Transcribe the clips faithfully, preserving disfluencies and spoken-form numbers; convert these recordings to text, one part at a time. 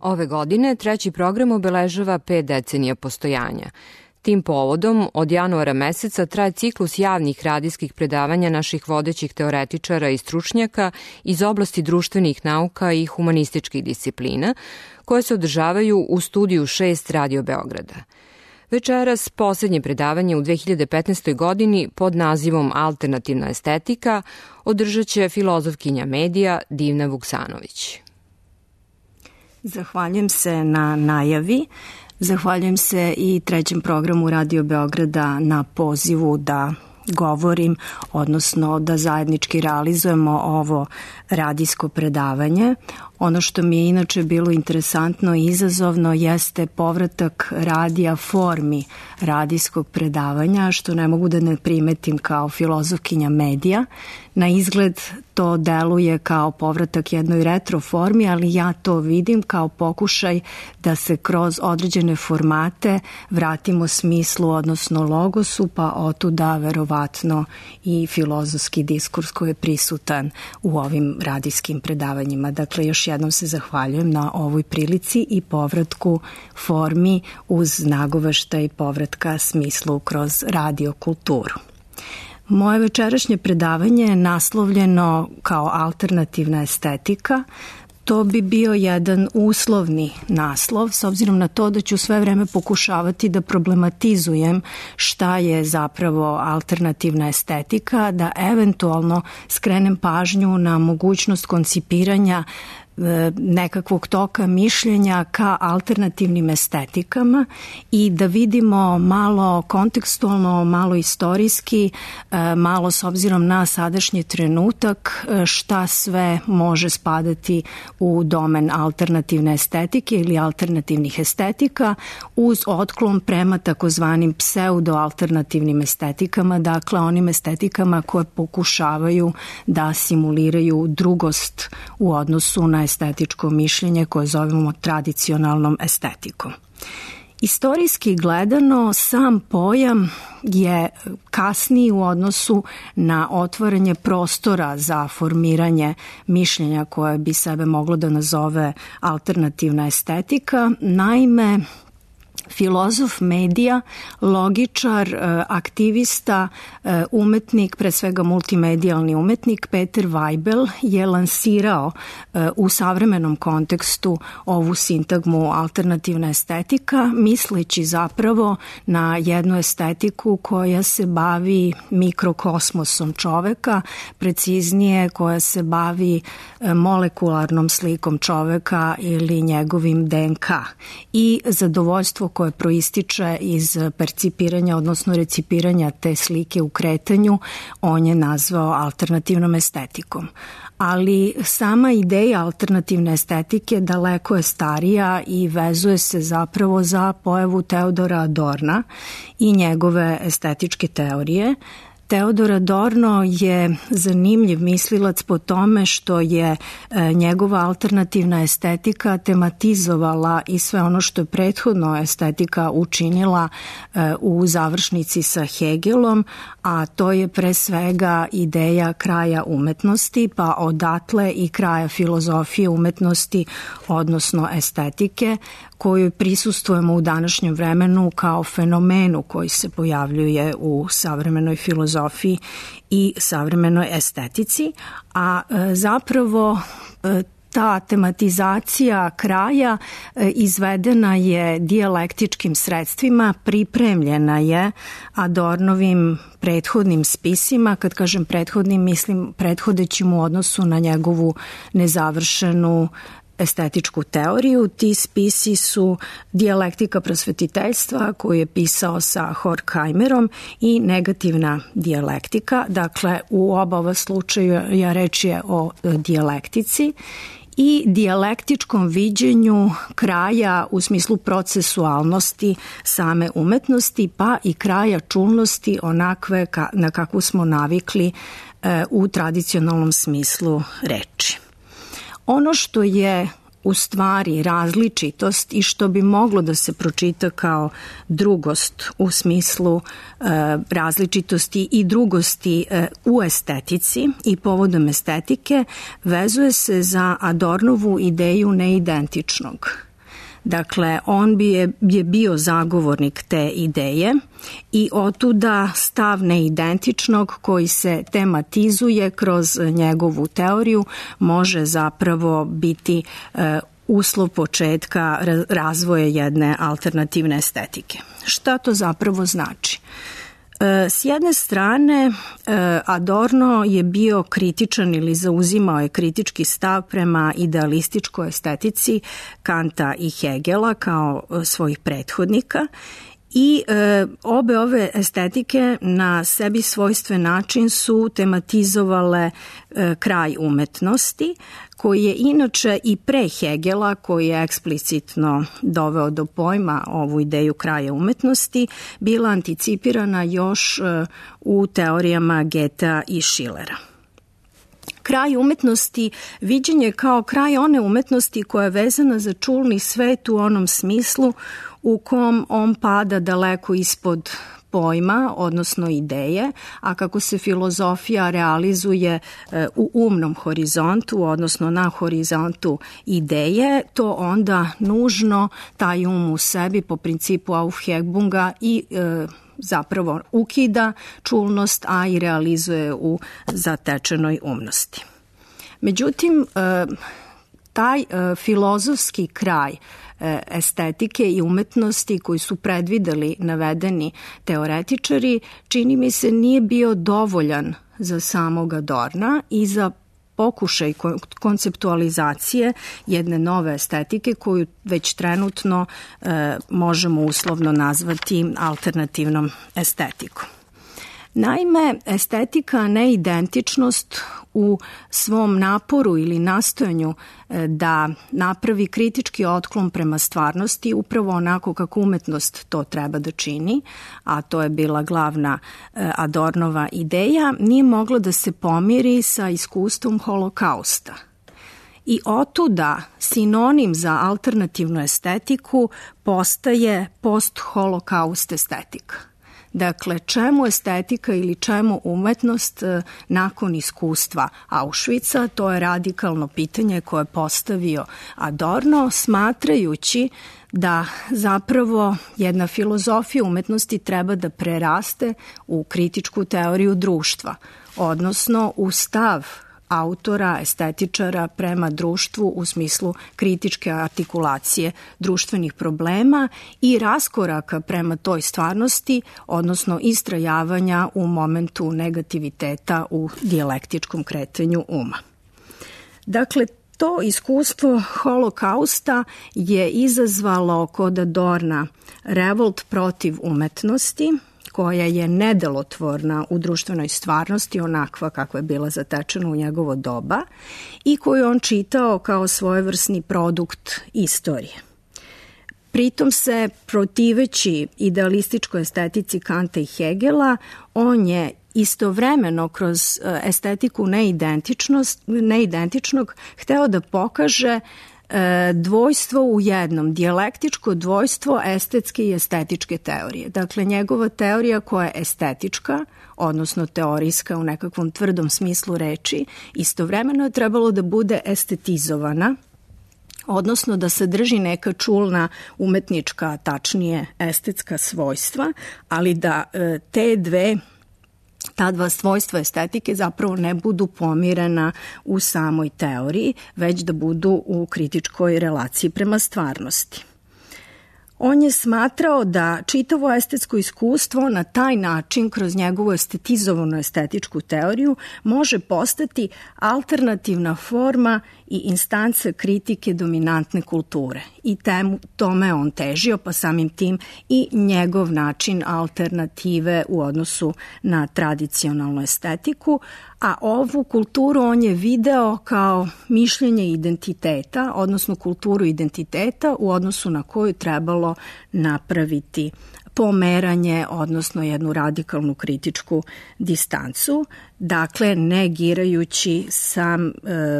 Ove godine treći program obeležava pet decenija postojanja. Tim povodom, od januara meseca traje ciklus javnih radijskih predavanja naših vodećih teoretičara i stručnjaka iz oblasti društvenih nauka i humanističkih disciplina, koje se održavaju u studiju šest Radio Beograda. Večeras poslednje predavanje u dve hiljade petnaestoj. godini pod nazivom Alternativna estetika održat će filozofkinja medija Divna Vuksanović. Zahvaljujem se na najavi. Zahvaljujem se i trećem programu Radio Beograda na pozivu da govorim, odnosno da zajednički realizujemo ovo radijsko predavanje. Ono što mi je inače bilo interesantno i izazovno jeste povratak radija formi radijskog predavanja, što ne mogu da ne primetim kao filozofkinja medija. Na izgled to deluje kao povratak jednoj retro formi, ali ja to vidim kao pokušaj da se kroz određene formate vratimo smislu, odnosno logosu, pa otuda verovatno i filozofski diskurs koji je prisutan u ovim radijskim predavanjima. Dakle, još jednom se zahvaljujem na ovoj prilici i povratku formi uz nagoveštaj povratka smislu kroz radio kulturu. Moje večerašnje predavanje je naslovljeno kao alternativna estetika. To bi bio jedan uslovni naslov, s obzirom na to da ću sve vreme pokušavati da problematizujem šta je zapravo alternativna estetika, da eventualno skrenem pažnju na mogućnost koncipiranja nekakvog toka mišljenja ka alternativnim estetikama i da vidimo malo kontekstualno, malo istorijski, malo s obzirom na sadašnji trenutak šta sve može spadati u domen alternativne estetike ili alternativnih estetika uz otklon prema takozvanim pseudo-alternativnim estetikama, dakle onim estetikama koje pokušavaju da simuliraju drugost u odnosu na estetičko mišljenje koje zovemo tradicionalnom estetikom. Istorijski gledano, sam pojam je kasniji u odnosu na otvaranje prostora za formiranje mišljenja koje bi sebe moglo da nazove alternativna estetika. Naime, filozof medija, logičar, aktivista, umetnik, pre svega multimedijalni umetnik Peter Weibel je lansirao u savremenom kontekstu ovu sintagmu alternativna estetika, misleći zapravo na jednu estetiku koja se bavi mikrokosmosom čoveka, preciznije koja se bavi molekularnom slikom čoveka ili njegovim D N K i zadovoljstvo koje proističe iz percipiranja, odnosno recipiranja te slike u kretanju, on je nazvao alternativnom estetikom. Ali sama ideja alternativne estetike daleko je starija i vezuje se zapravo za pojavu Teodora Adorna i njegove estetičke teorije. Teodor Adorno je zanimljiv mislilac po tome što je njegova alternativna estetika tematizovala i sve ono što je prethodno estetika učinila u završnici sa Hegelom, a to je pre svega ideja kraja umetnosti, pa odatle i kraja filozofije umetnosti, odnosno estetike, koju prisustujemo u današnjem vremenu kao fenomenu koji se pojavljuje u savremenoj filozofiji i savremenoj estetici, a zapravo ta tematizacija kraja izvedena je dijalektičkim sredstvima, pripremljena je Adornovim prethodnim spisima. Kad kažem prethodnim, mislim prethodećim u odnosu na njegovu nezavršenu estetičku teoriju. Ti spisi su Dijalektika prosvetiteljstva koju je pisao sa Horkheimerom i Negativna dijalektika. Dakle, u oba ova slučaja reč je o dijalektici i dijalektičkom viđenju kraja u smislu procesualnosti same umetnosti, pa i kraja čulnosti onakve na kakvu smo navikli u tradicionalnom smislu reči. Ono što je u stvari različitost i što bi moglo da se pročita kao drugost u smislu e, različitosti i drugosti e, u estetici i povodom estetike, vezuje se za Adornovu ideju neidentičnog. Dakle, on bi je, je bio zagovornik te ideje i otuda stav neidentičnog koji se tematizuje kroz njegovu teoriju može zapravo biti e, uslov početka razvoja jedne alternativne estetike. Šta to zapravo znači? S jedne strane, Adorno je bio kritičan ili zauzimao je kritički stav prema idealističkoj estetici Kanta i Hegela kao svojih prethodnika i e, obe ove estetike na sebi svojstven način su tematizovale e, kraj umetnosti, koji je inače i pre Hegela, koji je eksplicitno doveo do pojma ovu ideju kraja umetnosti, bila anticipirana još e, u teorijama Goethea i Schillera. Kraj umetnosti viđen je kao kraj one umetnosti koja je vezana za čulni svet u onom smislu u kom on pada daleko ispod pojma, odnosno ideje, a kako se filozofija realizuje u umnom horizontu, odnosno na horizontu ideje, to onda nužno taj um u sebi po principu Aufhebunga i e, zapravo ukida čulnost, a i realizuje u zatečenoj umnosti. Međutim, e, taj e, filozofski kraj estetike i umetnosti koji su predvideli navedeni teoretičari, čini mi se nije bio dovoljan za samog Adorna i za pokušaj konceptualizacije jedne nove estetike koju već trenutno e, možemo uslovno nazvati alternativnom estetikom. Naime, estetika neidentičnost u svom naporu ili nastojanju da napravi kritički otklon prema stvarnosti upravo onako kako umetnost to treba da čini, a to je bila glavna Adornova ideja, nije moglo da se pomiri sa iskustvom holokausta. I otuda sinonim za alternativnu estetiku postaje post-holokaust estetika. Dakle, čemu estetika ili čemu umetnost nakon iskustva Auschwitza, to je radikalno pitanje koje je postavio Adorno, smatrajući da zapravo jedna filozofija umetnosti treba da preraste u kritičku teoriju društva, odnosno u stav autora, estetičara prema društvu u smislu kritičke artikulacije društvenih problema i raskoraka prema toj stvarnosti, odnosno istrajavanja u momentu negativiteta u dijalektičkom kretanju uma. Dakle, to iskustvo holokausta je izazvalo kod Adorna revolt protiv umetnosti, koja je nedelotvorna u društvenoj stvarnosti, onakva kakva je bila zatečena u njegovo doba i koju on čitao kao svojevrsni produkt istorije. Pritom se, protiveći idealističkoj estetici Kanta i Hegela, on je istovremeno kroz estetiku neidentičnog hteo da pokaže dvojstvo u jednom, dijalektičko dvojstvo estetske i estetičke teorije. Dakle, njegova teorija koja je estetička, odnosno teorijska u nekakvom tvrdom smislu reči, istovremeno je trebalo da bude estetizovana, odnosno da sadrži neka čulna umetnička, tačnije estetska svojstva, ali da te dve ta dva svojstva estetike zapravo ne budu pomirena u samoj teoriji, već da budu u kritičkoj relaciji prema stvarnosti. On je smatrao da čitavo estetsko iskustvo na taj način, kroz njegovu estetizovanu estetičku teoriju, može postati alternativna forma i instanca kritike dominantne kulture. I temu, tome on težio, pa samim tim i njegov način alternative u odnosu na tradicionalnu estetiku, a ovu kulturu on je video kao mišljenje identiteta, odnosno kulturu identiteta u odnosu na koju trebalo napraviti pomeranje, odnosno jednu radikalnu kritičku distancu, dakle negirajući sam e,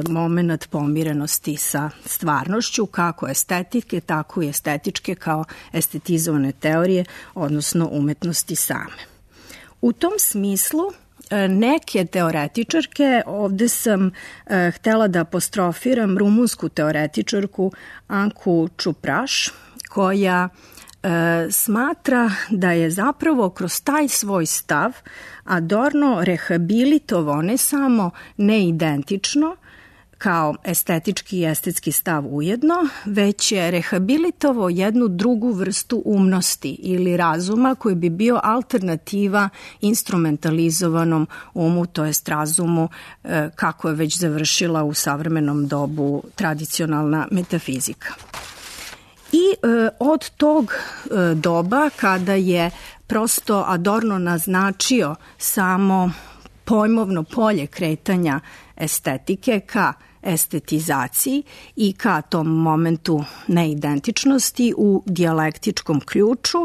moment pomirenosti sa stvarnošću, kako estetike, tako i estetičke kao estetizovane teorije, odnosno umetnosti same. U tom smislu neke teoretičarke, ovde sam e, htela da apostrofiram rumunsku teoretičarku Anku Čupraš, koja e, smatra da je zapravo kroz taj svoj stav Adorno rehabilitovao ne samo neidentično, kao estetički i estetski stav ujedno, već je rehabilitovao jednu drugu vrstu umnosti ili razuma koji bi bio alternativa instrumentalizovanom umu, to jest razumu kako je već završila u savremenom dobu tradicionalna metafizika. I e, od tog e, doba, kada je prosto Adorno naznačio samo pojmovno polje kretanja estetike ka estetizaciji i ka tom momentu neidentičnosti u dijalektičkom ključu,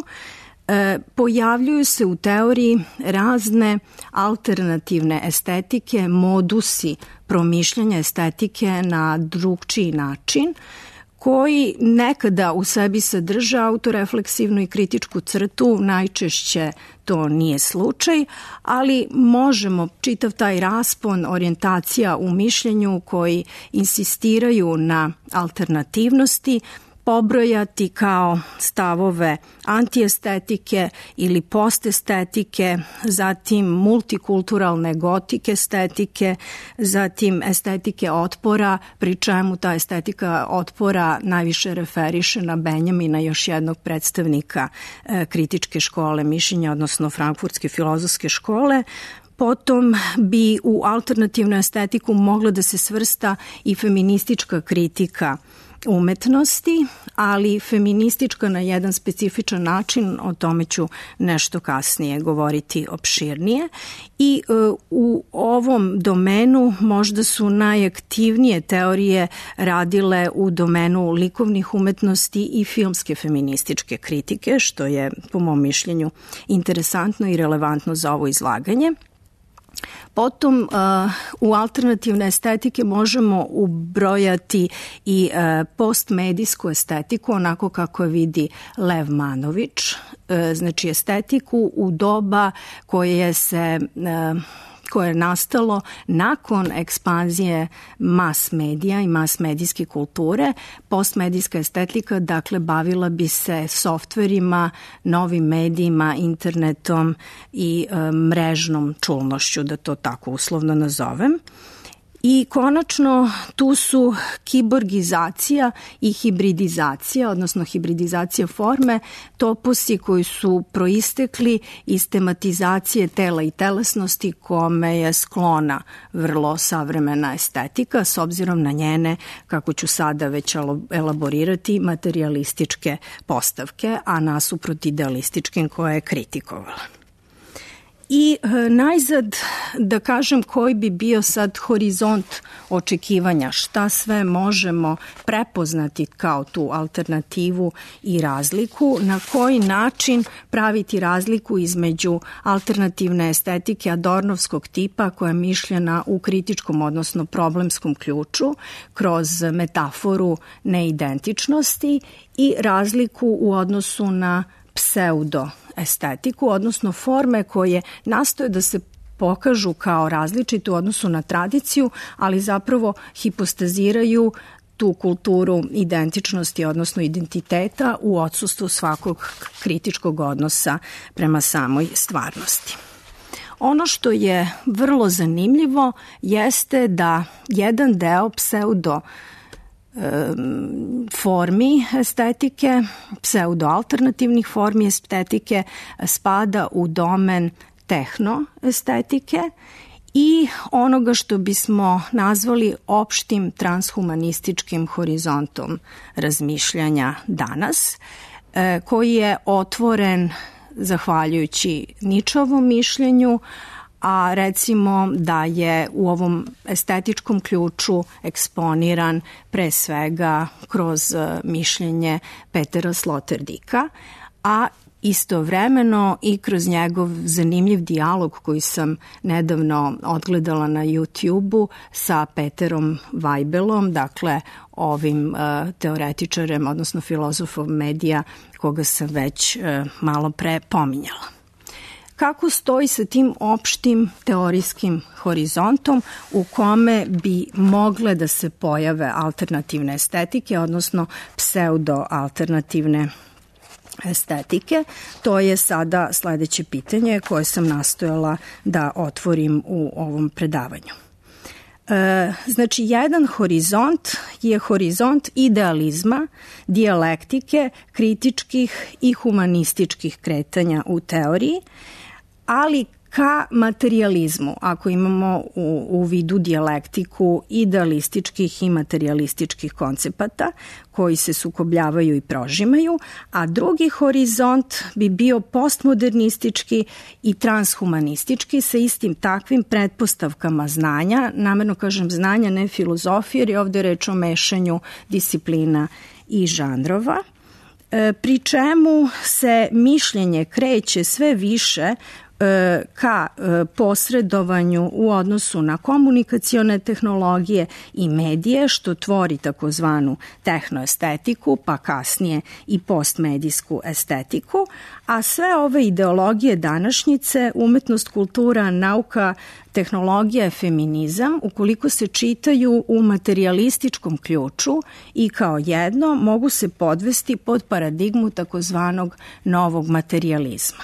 e, pojavljuju se u teoriji razne alternativne estetike, modusi promišljanja estetike na drugčiji način, koji nekada u sebi sadrže autorefleksivnu i kritičku crtu, najčešće to nije slučaj, ali možemo čitav taj raspon orijentacija u mišljenju koji insistiraju na alternativnosti pobrojati kao stavove antiestetike ili postetike, zatim multikulturalne gotik estetike, zatim estetike otpora, pri čemu ta estetika otpora najviše referiše na Benjamina, još jednog predstavnika e, kritičke škole mišljenja, odnosno frankfurtske filozofske škole. Potom bi u alternativnu estetiku mogla da se svrsta i feministička kritika umetnosti, ali feministička na jedan specifičan način, o tome ću nešto kasnije govoriti opširnije. I e, u ovom domenu možda su najaktivnije teorije radile u domenu likovnih umetnosti i filmske feminističke kritike, što je po mom mišljenju interesantno i relevantno za ovo izlaganje. Potom u alternativne estetike možemo ubrojati i postmedijsku estetiku, onako kako vidi Lev Manović, znači estetiku u doba koje se koje je nastalo nakon ekspanzije mas medija i mas medijske kulture. Postmedijska estetika, dakle, bavila bi se softverima, novim medijima, internetom i e, mrežnom čulnošću, da to tako uslovno nazovem. I konačno tu su kiborgizacija i hibridizacija, odnosno hibridizacija forme, toposi koji su proistekli iz tematizacije tela i telesnosti kome je sklona vrlo savremena estetika, s obzirom na njene, kako ću sada već elaborirati, materialističke postavke, a nasuprot idealističkim koje je kritikovala. I e, najzad da kažem koji bi bio sad horizont očekivanja, šta sve možemo prepoznati kao tu alternativu i razliku, na koji način praviti razliku između alternativne estetike adornovskog tipa koja je mišljena u kritičkom, odnosno problemskom ključu, kroz metaforu neidentičnosti i razliku u odnosu na pseudo estetiku, odnosno forme koje nastoje da se pokažu kao različite u odnosu na tradiciju, ali zapravo hipostaziraju tu kulturu identičnosti, odnosno identiteta u odsustvu svakog kritičkog odnosa prema samoj stvarnosti. Ono što je vrlo zanimljivo jeste da jedan deo pseudo formi estetike, pseudo-alternativnih formi estetike spada u domen tehnoestetike i onoga što bismo nazvali opštim transhumanističkim horizontom razmišljanja danas, koji je otvoren zahvaljujući Ničovom mišljenju, a recimo da je u ovom estetičkom ključu eksponiran pre svega kroz mišljenje Petera Sloterdika, a istovremeno i kroz njegov zanimljiv dijalog koji sam nedavno odgledala na YouTube-u sa Peterom Weibelom, dakle ovim uh, teoretičarem, odnosno filozofom medija koga sam već uh, malo pre pominjala. kako stoji sa tim opštim teorijskim horizontom u kome bi mogle da se pojave alternativne estetike, odnosno pseudo-alternativne estetike. To je sada sledeće pitanje koje sam nastojala da otvorim u ovom predavanju. E, znači, jedan horizont je horizont idealizma, dijalektike, kritičkih i humanističkih kretanja u teoriji, ali ka materijalizmu, ako imamo u, u vidu dijalektiku idealističkih i materijalističkih koncepata koji se sukobljavaju i prožimaju, a drugi horizont bi bio postmodernistički i transhumanistički sa istim takvim pretpostavkama znanja, namerno kažem znanja, ne filozofije, jer je ovde reč o mešanju disciplina i žanrova, pri čemu se mišljenje kreće sve više ka posredovanju u odnosu na komunikacione tehnologije i medije, što tvori takozvanu tehnoestetiku, pa kasnije i postmedijsku estetiku, a sve ove ideologije današnjice, umetnost, kultura, nauka, tehnologija, feminizam, ukoliko se čitaju u materijalističkom ključu i kao jedno, mogu se podvesti pod paradigmu takozvanog novog materijalizma.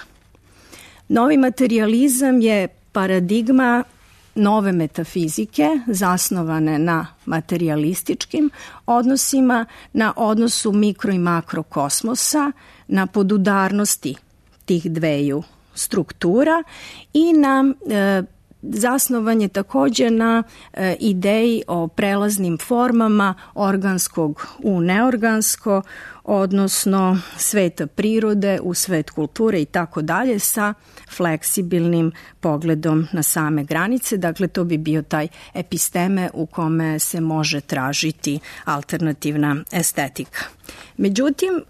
Novi materijalizam je paradigma nove metafizike zasnovane na materijalističkim odnosima, na odnosu mikro i makro kosmosa, na podudarnosti tih dveju struktura i na e, zasnovan je takođe na e, ideji o prelaznim formama organskog u neorgansko, odnosno sveta prirode u svet kulture i tako dalje sa fleksibilnim pogledom na same granice. Dakle, to bi bio taj episteme u kome se može tražiti alternativna estetika. Međutim,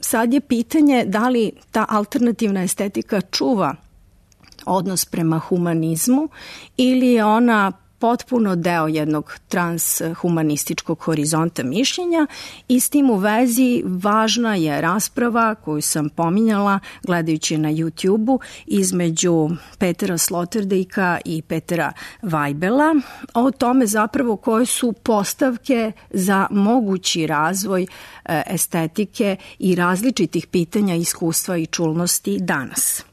sad je pitanje da li ta alternativna estetika čuva odnos prema humanizmu ili je ona potpuno deo jednog transhumanističkog horizonta mišljenja i s tim u vezi važna je rasprava koju sam pominjala gledajući na YouTube-u između Petera Sloterdijka i Petera Weibela o tome zapravo koje su postavke za mogući razvoj estetike i različitih pitanja, iskustva i čulnosti danas.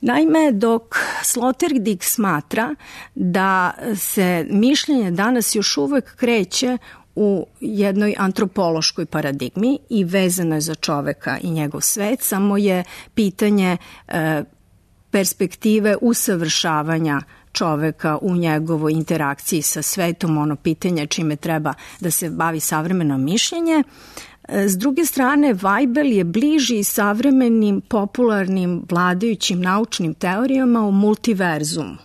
Naime, dok Sloterdijk smatra da se mišljenje danas još uvek kreće u jednoj antropološkoj paradigmi i vezano je za čoveka i njegov svet, samo je pitanje e, perspektive usavršavanja čoveka u njegovoj interakciji sa svetom, ono pitanje čime treba da se bavi savremeno mišljenje. S druge strane, Weibel je bliži savremenim, popularnim, vladajućim naučnim teorijama o multiverzumu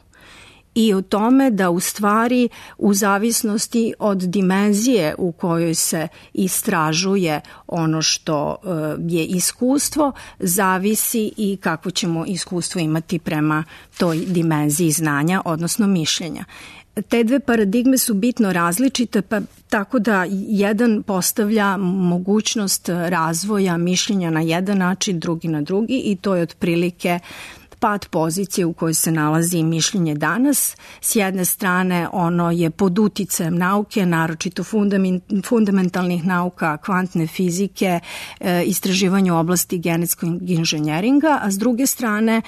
i o tome da u stvari u zavisnosti od dimenzije u kojoj se istražuje ono što je iskustvo, zavisi i kako ćemo iskustvo imati prema toj dimenziji znanja, odnosno mišljenja. Te dve paradigme su bitno različite, pa tako da jedan postavlja mogućnost razvoja mišljenja na jedan način, drugi na drugi i to je otprilike pad pozicije u kojoj se nalazi mišljenje danas. S jedne strane ono je pod uticajem nauke, naročito fundamentalnih nauka, kvantne fizike, istraživanje u oblasti genetskog inženjeringa, a s druge strane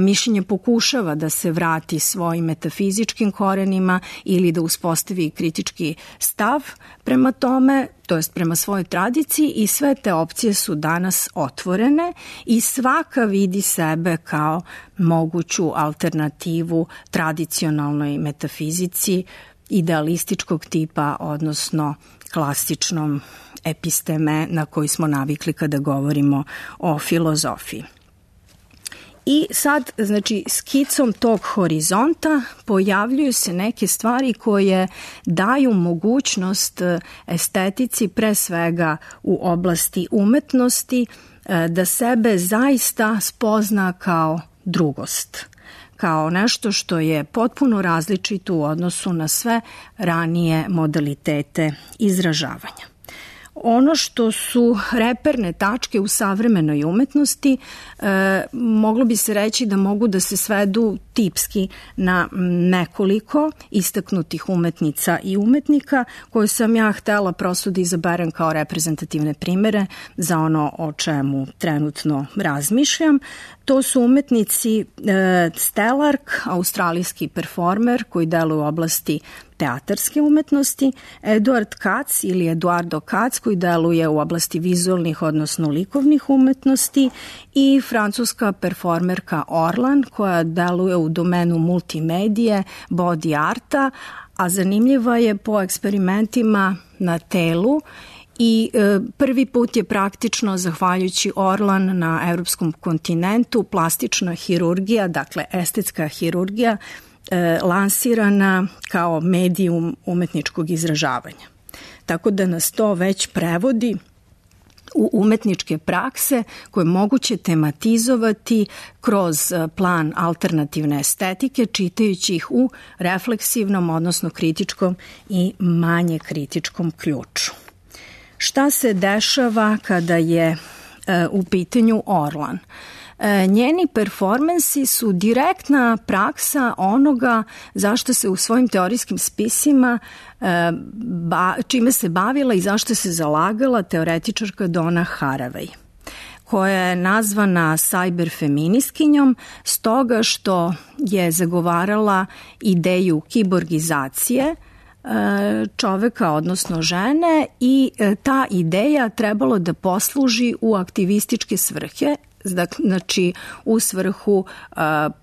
mišljenje pokušava da se vrati svojim metafizičkim korenima ili da uspostavi kritički stav prema tome, to jest prema svojoj tradiciji, i sve te opcije su danas otvorene i svaka vidi sebe kao moguću alternativu tradicionalnoj metafizici idealističkog tipa, odnosno klasičnom episteme na koji smo navikli kada govorimo o filozofiji. I sad, znači, skicom tog horizonta pojavljuju se neke stvari koje daju mogućnost estetici, pre svega u oblasti umetnosti, da sebe zaista spozna kao drugost, kao nešto što je potpuno različito u odnosu na sve ranije modalitete izražavanja. Ono što su reperne tačke u savremenoj umetnosti, e, moglo bi se reći da mogu da se svedu tipski na nekoliko istaknutih umetnica i umetnika koje sam ja htela prosto da izaberem kao reprezentativne primere za ono o čemu trenutno razmišljam. To su umetnici e, Stellark, australijski performer koji deluje u oblasti teatarske umetnosti, Eduard Katz ili Eduardo Katz koji deluje u oblasti vizualnih, odnosno likovnih umetnosti i francuska performerka Orlan koja deluje u domenu multimedije, body arta, a zanimljiva je po eksperimentima na telu i e, prvi put je praktično, zahvaljujući Orlan na evropskom kontinentu, plastična hirurgija, dakle estetska hirurgija, e, lansirana kao medijum umetničkog izražavanja. Tako da nas to već prevodi u umetničke prakse koje moguće tematizovati kroz plan alternativne estetike, čitajući ih u refleksivnom, odnosno kritičkom i manje kritičkom ključu. Šta se dešava kada je e, u pitanju Orlan? E, njeni performansi su direktna praksa onoga zašto se u svojim teorijskim spisima e, ba, čime se bavila i zašto se zalagala teoretičarka Donna Haraway, koja je nazvana cyberfeministkinjom stoga što je zagovarala ideju kiborgizacije čoveka, odnosno žene, i ta ideja trebalo da posluži u aktivističke svrhe, znači u svrhu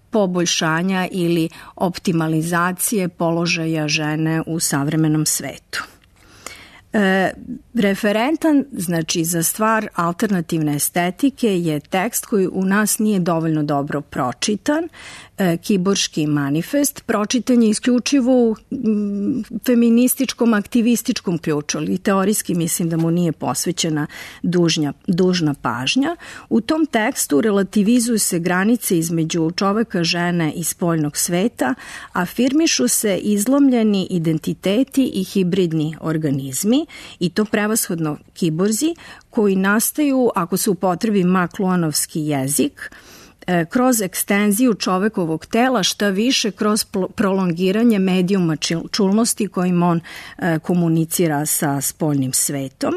poboljšanja ili optimalizacije položaja žene u savremenom svetu. E, referentan, znači za stvar alternativne estetike, je tekst koji u nas nije dovoljno dobro pročitan, e, Kiborški manifest. Pročitan je isključivo u m, feminističkom, aktivističkom ključu, ali teorijski mislim da mu nije posvećena dužnja, dužna pažnja. U tom tekstu relativizuju se granice između čoveka, žene i spoljnog sveta, afirmišu se izlomljeni identiteti i hibridni organizmi, i to prevashodno kiborzi, koji nastaju, ako se upotrebi makluanovski jezik, kroz ekstenziju čovekovog tela, šta više kroz prolongiranje medijuma čulnosti kojim on komunicira sa spoljnim svetom.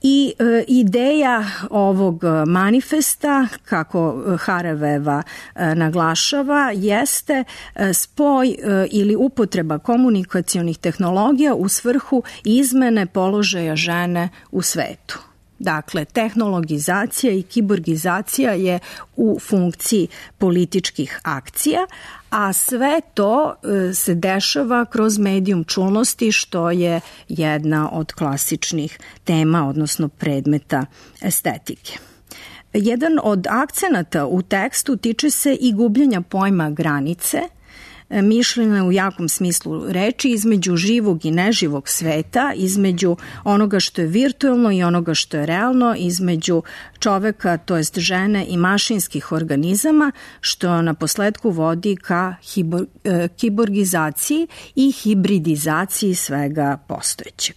I e, ideja ovog manifesta, kako Harawayeva e, naglašava, jeste e, spoj e, ili upotreba komunikacionih tehnologija u svrhu izmene položaja žene u svetu. Dakle, tehnologizacija i kiborgizacija je u funkciji političkih akcija, a sve to se dešava kroz medijum čulnosti, što je jedna od klasičnih tema, odnosno predmeta estetike. Jedan od akcenata u tekstu tiče se i gubljenja pojma granice, mišljenja u jakom smislu reči, između živog i neživog sveta, između onoga što je virtualno i onoga što je realno, između čoveka, to jest žene, i mašinskih organizama, što na posledku vodi ka hibor, e, kiborgizaciji i hibridizaciji svega postojećeg.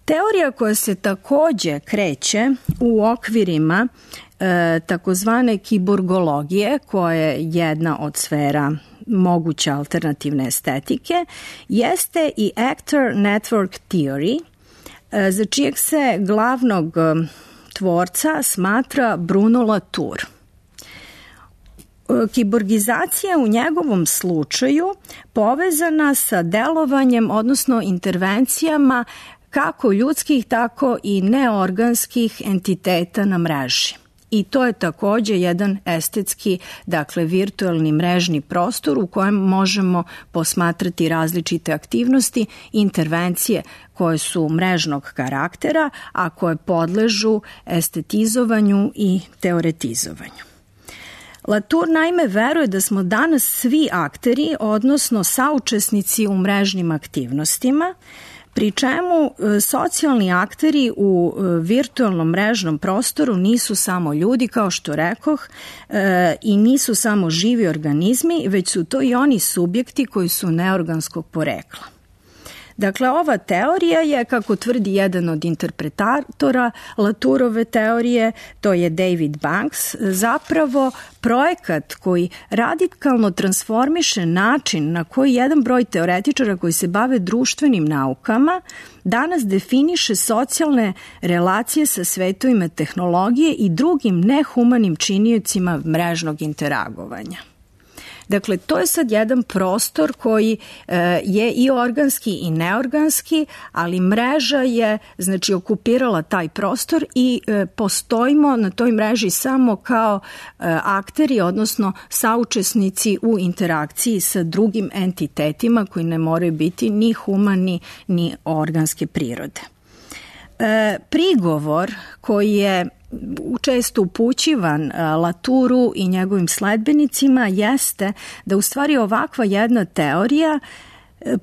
Teorija koja se takođe kreće u okvirima e, takozvane kiborgologije, koja je jedna od sfera moguće alternativne estetike, jeste i Actor Network Theory, za čijeg se glavnog tvorca smatra Bruno Latour. Kiborgizacija u njegovom slučaju povezana sa delovanjem, odnosno intervencijama kako ljudskih, tako i neorganskih entiteta na mreži. I to je takođe jedan estetski, dakle virtualni mrežni prostor u kojem možemo posmatrati različite aktivnosti, intervencije koje su mrežnog karaktera, a koje podležu estetizovanju i teoretizovanju. Latour naime veruje da smo danas svi akteri, odnosno saučesnici u mrežnim aktivnostima, pri čemu socijalni akteri u virtualnom mrežnom prostoru nisu samo ljudi, kao što rekoh, i nisu samo živi organizmi, već su to i oni subjekti koji su neorganskog porekla. Dakle, ova teorija je, kako tvrdi jedan od interpretatora Latourove teorije, to je David Banks, zapravo projekat koji radikalno transformiše način na koji jedan broj teoretičara koji se bave društvenim naukama danas definiše socijalne relacije sa svetovima tehnologije i drugim nehumanim činiocima mrežnog interagovanja. Dakle, to je sad jedan prostor koji e, je i organski i neorganski, ali mreža je, znači, okupirala taj prostor i e, postojimo na toj mreži samo kao e, akteri, odnosno saučesnici u interakciji sa drugim entitetima koji ne moraju biti ni humani ni organske prirode. E, prigovor koji je često upućivan Latouru i njegovim sledbenicima jeste da u stvari ovakva jedna teorija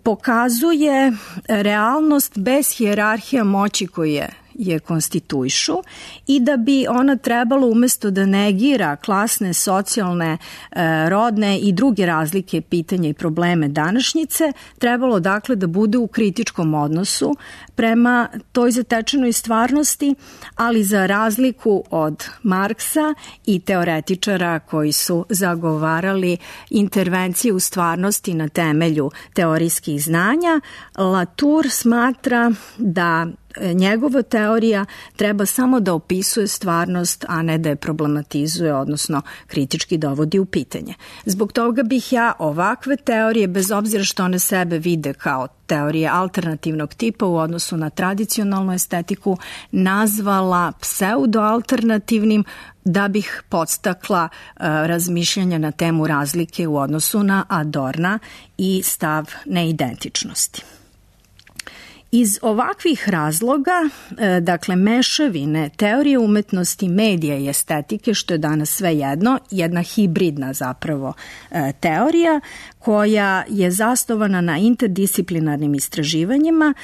pokazuje realnost bez hijerarhija moći koje je konstituišu i da bi ona trebalo umesto da negira klasne, socijalne, rodne i druge razlike, pitanja i probleme današnjice, trebalo dakle da bude u kritičkom odnosu prema toj zatečenoj stvarnosti, ali za razliku od Marksa i teoretičara koji su zagovarali intervencije u stvarnosti na temelju teorijskih znanja, Latour smatra da njegova teorija treba samo da opisuje stvarnost, a ne da je problematizuje, odnosno kritički dovodi u pitanje. Zbog toga bih ja ovakve teorije, bez obzira što one sebe vide kao teorije alternativnog tipa u odnosu na tradicionalnu estetiku, nazvala pseudoalternativnim, da bih podstakla uh, razmišljanja na temu razlike u odnosu na Adorna i stav neidentičnosti. Iz ovakvih razloga, dakle mešavine teorije umetnosti, medija i estetike, što je danas sve jedno, jedna hibridna zapravo teorija koja je zasnovana na interdisciplinarnim istraživanjima,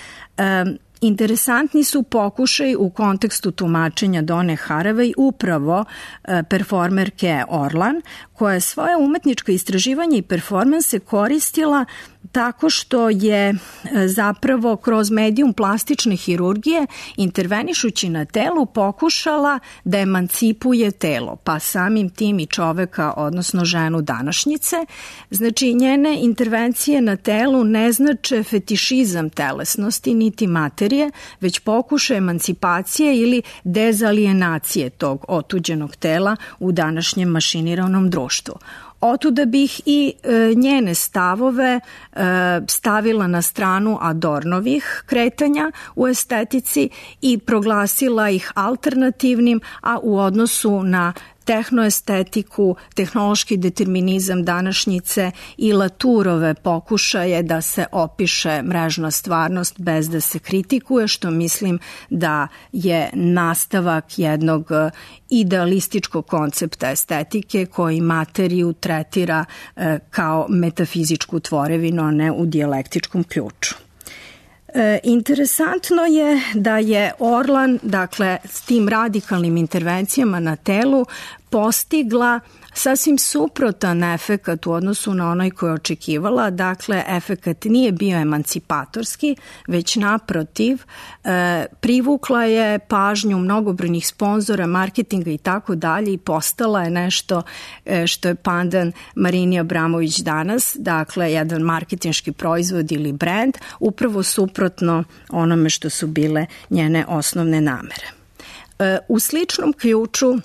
interesantni su pokušaj u kontekstu tumačenja Done Haraway upravo performerke Orlan, koja je svoje umetničko istraživanje i performanse koristila tako što je zapravo kroz medijum plastične hirurgije, intervenišući na telu, pokušala da emancipuje telo, pa samim tim i čoveka, odnosno ženu današnjice. Znači, njene intervencije na telu ne znače fetišizam telesnosti niti materije, već pokušaj emancipacije ili dezalijenacije tog otuđenog tela u današnjem mašiniranom društvu. Otuda bih i e, njene stavove e, stavila na stranu Adornovih kretanja u estetici i proglasila ih alternativnim, a u odnosu na tehnoestetiku, tehnološki determinizam današnjice i Latourove pokušaje da se opiše mrežna stvarnost bez da se kritikuje, što mislim da je nastavak jednog idealističkog koncepta estetike koji materiju tretira e, kao metafizičku tvorevinu, a ne u dijalektičkom ključu. E, interesantno je da je Orlan, dakle, s tim radikalnim intervencijama na telu postigla sasvim suprotan efekat u odnosu na onaj koji je očekivala. Dakle, efekat nije bio emancipatorski, već naprotiv, e, privukla je pažnju mnogobrojnih sponzora, marketinga i tako dalje i postala je nešto e, što je pandan Marini Abramović danas, dakle, jedan marketinški proizvod ili brand, upravo suprotno onome što su bile njene osnovne namere. E, u sličnom ključu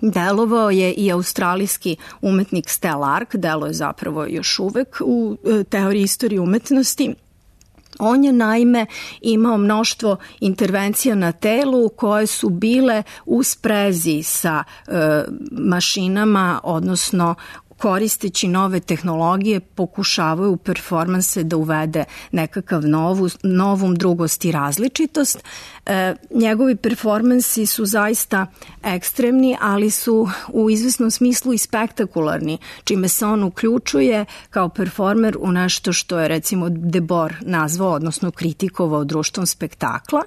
delovao je i australijski umetnik Stell Ark, delo je zapravo još uvek u teoriji istorije umetnosti. On je naime imao mnoštvo intervencija na telu koje su bile u sprezi sa e, mašinama, odnosno koristeći nove tehnologije pokušavaju u performanse da uvede nekakav novu, novum, drugost i različitost. E, njegovi performansi su zaista ekstremni, ali su u izvesnom smislu i spektakularni, čime se on uključuje kao performer u nešto što je recimo Debord nazvao, odnosno kritikovao društvom spektakla.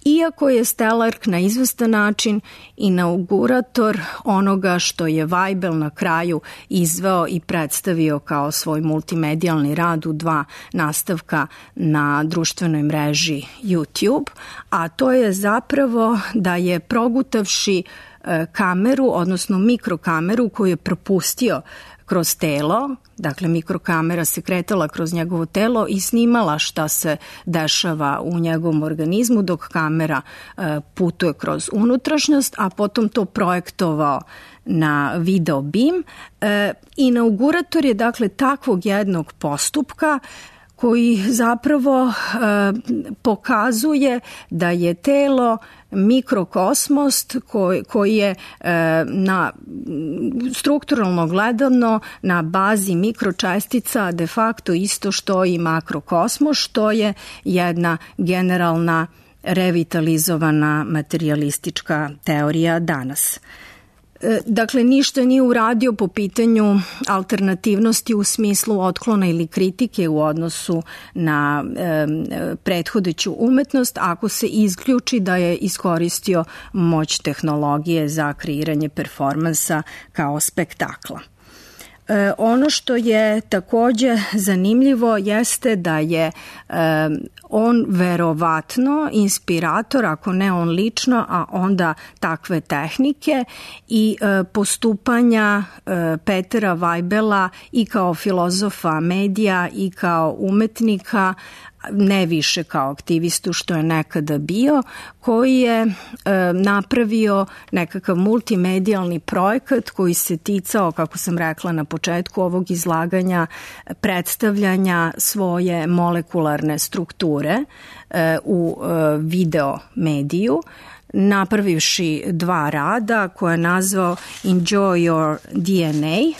Iako je Stell Ark na izvestan način inaugurator onoga što je Weibel na kraju izveo i predstavio kao svoj multimedijalni rad u dva nastavka na društvenoj mreži YouTube, a to je zapravo da je progutavši kameru, odnosno mikrokameru koju je propustio kroz telo, dakle mikrokamera se kretala kroz njegovo telo i snimala šta se dešava u njegovom organizmu dok kamera e, putuje kroz unutrašnjost, a potom to projektovao na video bim. E, inaugurator je dakle takvog jednog postupka koji zapravo e, pokazuje da je telo mikrokosmos koji, koji je e, na strukturalno gledano na bazi mikročestica de facto isto što i makrokosmos, što je jedna generalna revitalizovana materijalistička teorija danas. Dakle, ništa nije uradio po pitanju alternativnosti u smislu otklona ili kritike u odnosu na e, prethodeću umetnost ako se isključi da je iskoristio moć tehnologije za kreiranje performansa kao spektakla. E, ono što je takođe zanimljivo jeste da je e, on verovatno inspirator, ako ne on lično, a onda takve tehnike i e, postupanja e, Petera Weibela i kao filozofa medija i kao umetnika, ne više kao aktivistu što je nekada bio, koji je e, napravio nekakav multimedijalni projekat koji se ticao, kako sam rekla na početku ovog izlaganja, predstavljanja svoje molekularne strukture e, u e, video mediju, napravivši dva rada koje je nazvao Enjoy Your D N A,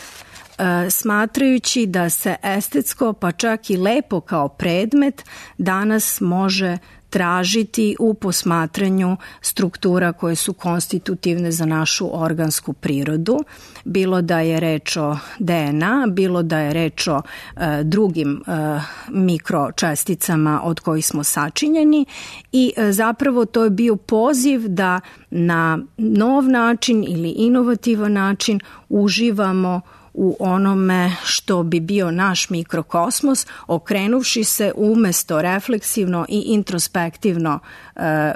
smatrajući da se estetsko pa čak i lepo kao predmet danas može tražiti u posmatranju struktura koje su konstitutivne za našu organsku prirodu, bilo da je reč o D N A, bilo da je reč o e, drugim e, mikročesticama od kojih smo sačinjeni i e, zapravo to je bio poziv da na nov način ili inovativan način uživamo u onome što bi bio naš mikrokosmos, okrenuvši se umesto refleksivno i introspektivno e,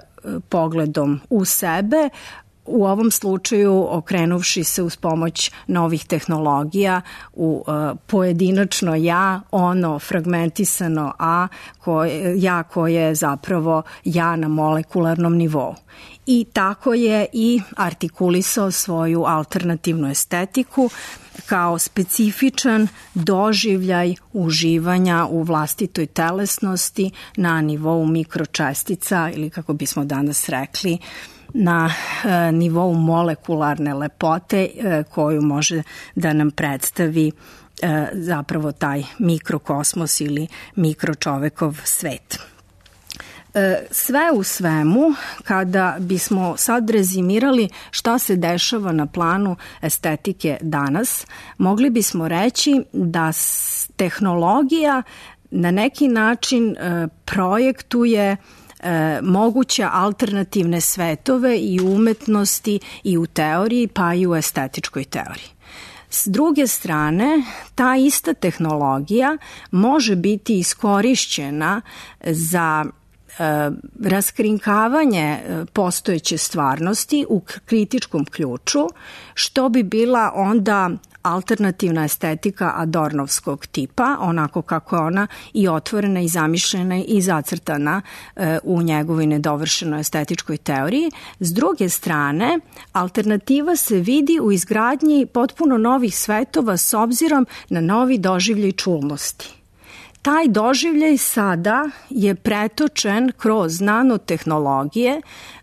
pogledom u sebe, u ovom slučaju okrenuvši se uz pomoć novih tehnologija u uh, pojedinačno ja, ono fragmentisano a, koje, ja koje je zapravo ja na molekularnom nivou. I tako je i artikulisao svoju alternativnu estetiku kao specifičan doživljaj uživanja u vlastitoj telesnosti na nivou mikročestica ili kako bismo danas rekli na e, nivou molekularne lepote e, koju može da nam predstavi e, zapravo taj mikrokosmos ili mikročovekov svet. E, sve u svemu, kada bismo sad rezimirali šta se dešava na planu estetike danas, mogli bismo reći da tehnologija na neki način e, projektuje E, moguće alternativne svetove i u umetnosti i u teoriji, pa i u estetičkoj teoriji. S druge strane, ta ista tehnologija može biti iskorišćena za e, raskrinkavanje postojeće stvarnosti u kritičkom ključu, što bi bila onda alternativna estetika Adornovskog tipa, onako kako je ona i otvorena i zamišljena i zacrtana e, u njegovoj nedovršenoj estetičkoj teoriji. S druge strane, alternativa se vidi u izgradnji potpuno novih svetova s obzirom na novi doživljaj čulnosti. Taj doživljaj sada je pretočen kroz nanotehnologije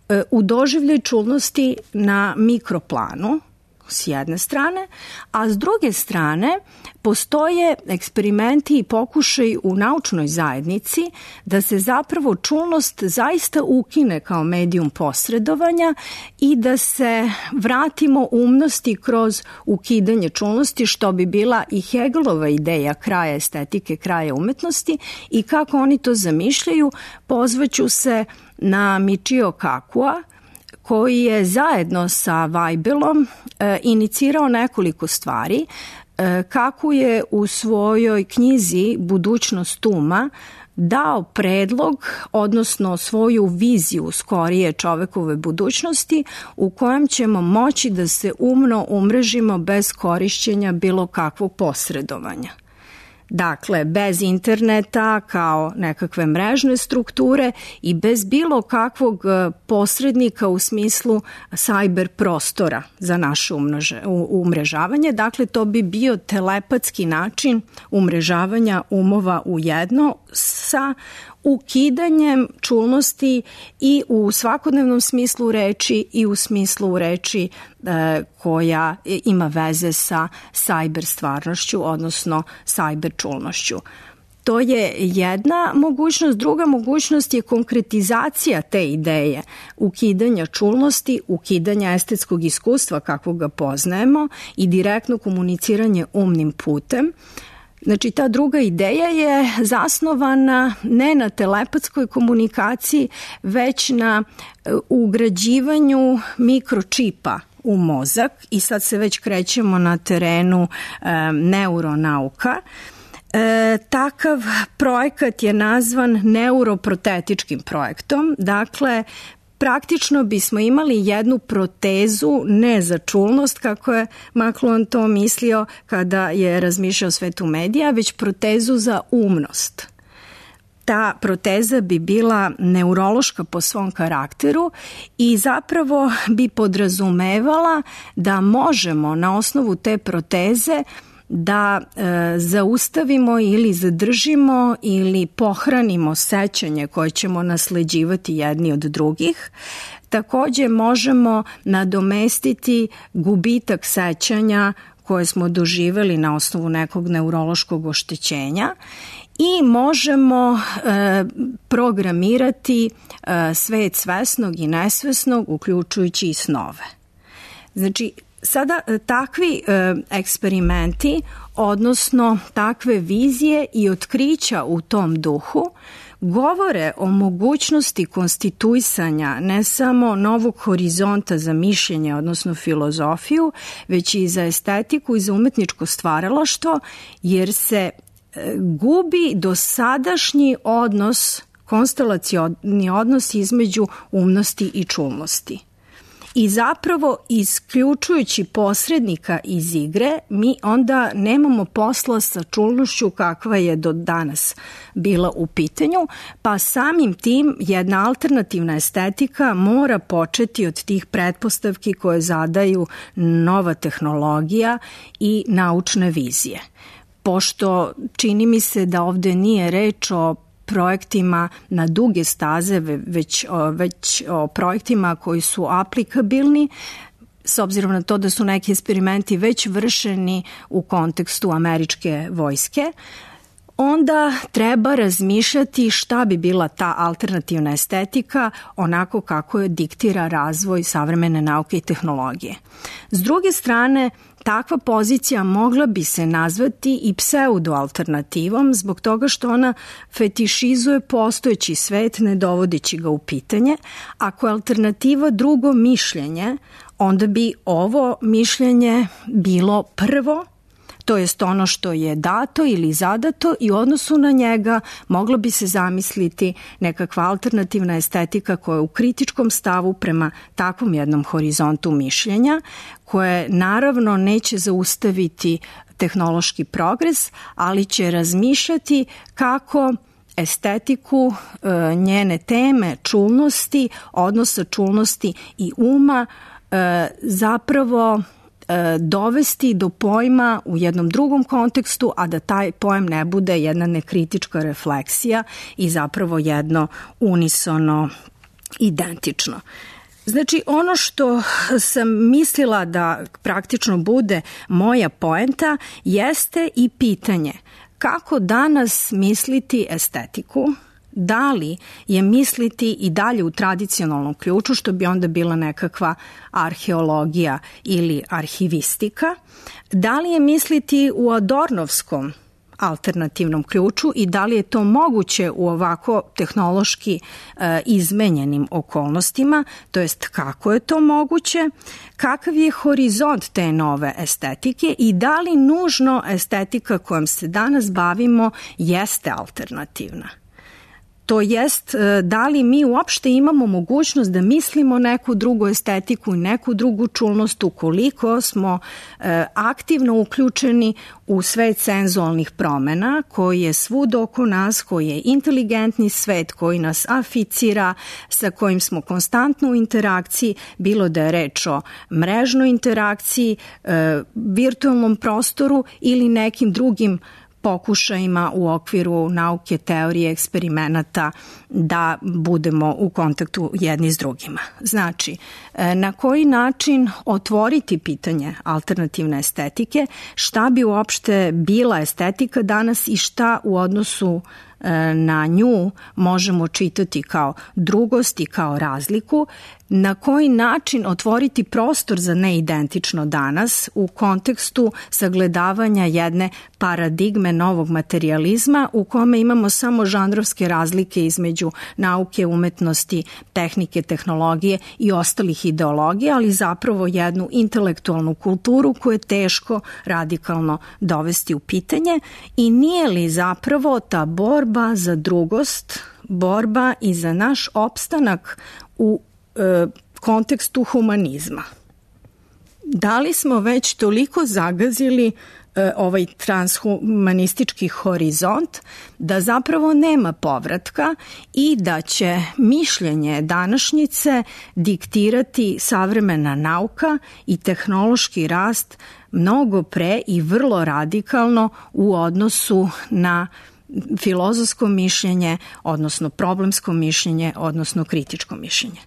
e, u doživljaj čulnosti na mikroplanu, s jedne strane, a s druge strane postoje eksperimenti i pokušaj u naučnoj zajednici da se zapravo čulnost zaista ukine kao medijum posredovanja i da se vratimo umnosti kroz ukidanje čulnosti, što bi bila i Hegelova ideja kraja estetike, kraja umetnosti, i kako oni to zamišljaju, pozvaću se na Michio Kakua, koji je zajedno sa Weibelom e, inicirao nekoliko stvari. kako je u svojoj knjizi Budućnost uma dao predlog, odnosno svoju viziju skorije čovekove budućnosti u kojem ćemo moći da se umno umrežimo bez korišćenja bilo kakvog posredovanja. Dakle, bez interneta kao nekakve mrežne strukture i bez bilo kakvog posrednika u smislu sajber prostora za naše umrežavanje. Dakle, to bi bio telepatski način umrežavanja umova u jedno sa ukidanjem čulnosti i u svakodnevnom smislu reči i u smislu reči e, koja ima veze sa sajber stvarnošću, odnosno sajber čulnošću. To je jedna mogućnost. Druga mogućnost je konkretizacija te ideje, ukidanja čulnosti, ukidanja estetskog iskustva kako ga poznajemo i direktno komuniciranje umnim putem. Znači, ta druga ideja je zasnovana ne na telepatskoj komunikaciji, već na ugrađivanju mikročipa u mozak i sad se već krećemo na terenu e, neuronauka. E, takav projekat je nazvan neuroprotetičkim projektom, dakle, praktično bismo imali jednu protezu ne za čulnost, kako je McLuhan to mislio kada je razmišljao o svetu medija, već protezu za umnost. Ta proteza bi bila neurološka po svom karakteru i zapravo bi podrazumevala da možemo na osnovu te proteze da e, zaustavimo ili zadržimo ili pohranimo sećanje koje ćemo nasleđivati jedni od drugih. Takođe možemo nadomestiti gubitak sećanja koje smo doživeli na osnovu nekog neurološkog oštećenja i možemo e, programirati e, svet svesnog i nesvesnog, uključujući i snove. Znači, sada takvi e, eksperimenti, odnosno takve vizije i otkrića u tom duhu, govore o mogućnosti konstituisanja ne samo novog horizonta za mišljenje, odnosno filozofiju, već i za estetiku i za umetničko stvaralaštvo, jer se e, gubi dosadašnji odnos, konstelacioni odnos između umnosti i čulnosti. I zapravo, isključujući posrednika iz igre, mi onda nemamo posla sa čulnošću kakva je do danas bila u pitanju, pa samim tim jedna alternativna estetika mora početi od tih pretpostavki koje zadaju nova tehnologija i naučne vizije. Pošto čini mi se da ovde nije reč o projektima na duge staze, već, već o projektima koji su aplikabilni, s obzirom na to da su neki eksperimenti već vršeni u kontekstu američke vojske, onda treba razmišljati šta bi bila ta alternativna estetika onako kako je diktira razvoj savremene nauke i tehnologije. S druge strane, takva pozicija mogla bi se nazvati i pseudo-alternativom zbog toga što ona fetišizuje postojeći svet ne dovodeći ga u pitanje. Ako je alternativa drugo mišljenje, onda bi ovo mišljenje bilo prvo, to jest ono što je dato ili zadato i u odnosu na njega moglo bi se zamisliti nekakva alternativna estetika koja je u kritičkom stavu prema takvom jednom horizontu mišljenja, koje naravno neće zaustaviti tehnološki progres, ali će razmišljati kako estetiku, njene teme, čulnosti, odnosa čulnosti i uma zapravo dovesti do pojma u jednom drugom kontekstu, a da taj pojam ne bude jedna nekritička refleksija i zapravo jedno unisono identično. Znači, ono što sam mislila da praktično bude moja poenta jeste i pitanje kako danas misliti estetiku, da li je misliti i dalje u tradicionalnom ključu, što bi onda bila nekakva arheologija ili arhivistika, da li je misliti u adornovskom alternativnom ključu i da li je to moguće u ovako tehnološki e, izmenjenim okolnostima, to jest kako je to moguće, kakav je horizont te nove estetike i da li nužno estetika kojom se danas bavimo jeste alternativna. To jest, da li mi uopšte imamo mogućnost da mislimo neku drugu estetiku i neku drugu čulnost ukoliko smo e, aktivno uključeni u svet senzualnih promena koji je svud oko nas, koji je inteligentni svet, koji nas aficira, sa kojim smo konstantno u interakciji, bilo da je reč o mrežnoj interakciji, e, virtualnom prostoru ili nekim drugim pokušajima u okviru nauke, teorije, eksperimenata da budemo u kontaktu jedni s drugima. Znači, na koji način otvoriti pitanje alternativne estetike, šta bi uopšte bila estetika danas i šta u odnosu na nju možemo čitati kao drugost i kao razliku, na koji način otvoriti prostor za neidentično danas u kontekstu sagledavanja jedne paradigme novog materijalizma u kome imamo samo žanrovske razlike između nauke, umetnosti, tehnike, tehnologije i ostalih ideologija, ali zapravo jednu intelektualnu kulturu koju je teško radikalno dovesti u pitanje i nije li zapravo ta borba za drugost, borba i za naš opstanak u kontekstu humanizma. Da li smo već toliko zagazili e, ovaj transhumanistički horizont da zapravo nema povratka i da će mišljenje današnjice diktirati savremena nauka i tehnološki rast mnogo pre i vrlo radikalno u odnosu na filozofsko mišljenje, odnosno problemsko mišljenje, odnosno kritičko mišljenje.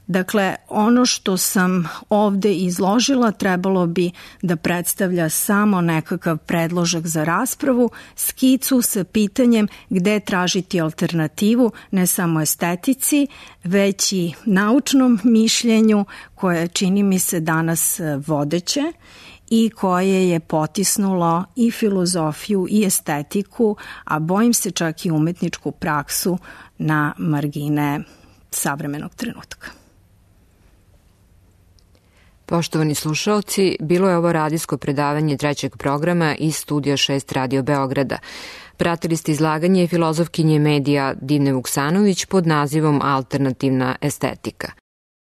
Dakle, ono što sam ovde izložila trebalo bi da predstavlja samo nekakav predložak za raspravu, skicu sa pitanjem gde tražiti alternativu ne samo estetici, već i naučnom mišljenju koje čini mi se danas vodeće i koje je potisnulo i filozofiju i estetiku, a bojim se čak i umetničku praksu na margine savremenog trenutka. Poštovani slušaoci, bilo je ovo radijsko predavanje trećeg programa iz Studija šest Radio Beograda. Pratili ste izlaganje filozofkinje medija Divne Vuksanović pod nazivom Alternativna estetika.